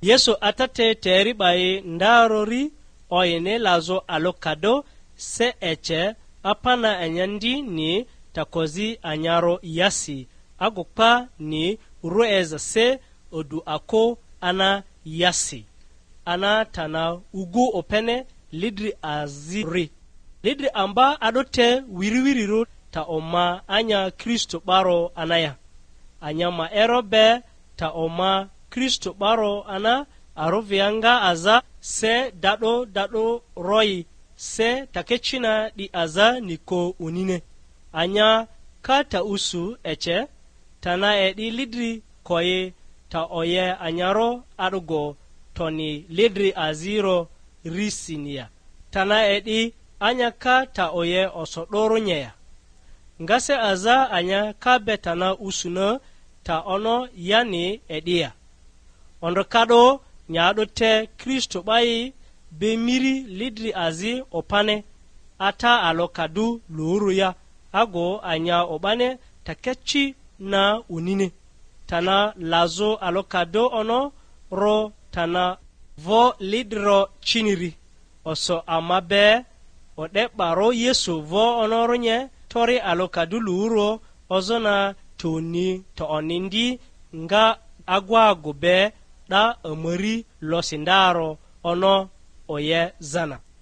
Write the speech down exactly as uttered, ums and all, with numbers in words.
Yesu Ata te teri 'ba yi ndarori oyini lazᴜ alokado se ece apana anya ndi ni takozi anyaro yasi, agu kpa ni rueza se odu ako ana yasi, ana tana ugu opene lidri aziri. Lidri amba a'do te wiriwirirᴜ ta oma anya Kristo 'baro ana ya. Anya ma ero be ta oma Kristo 'baro ana, arᴜvia nga aza se da'do da'do roi, se takecina 'di aza niko unine. Anya ka ta usu ece, tana e'di lidri koyi ta oye anyaro a'dugo, toni lidri aziro risini ya? Tana e'di anya ka ta oye oso 'dorᴜ nye ya? Nga se aza anya ka be tana usuna ta ono yani e'di ya? Ondrokado nya'do te Kristo 'ba yi be miri lidri azi opane, ata alokadu luru ya, ago anya o'bane takeci na unini. Tana lazᴜ alokado ono ro tana vo lidro ciniri. Oso ama be o'de 'barᴜ Yesu vo onorᴜ nye, tori alokadu luuro ozona toni to'oni ndi, nga agwagu be 'da amari losi ndaro ono oye zana.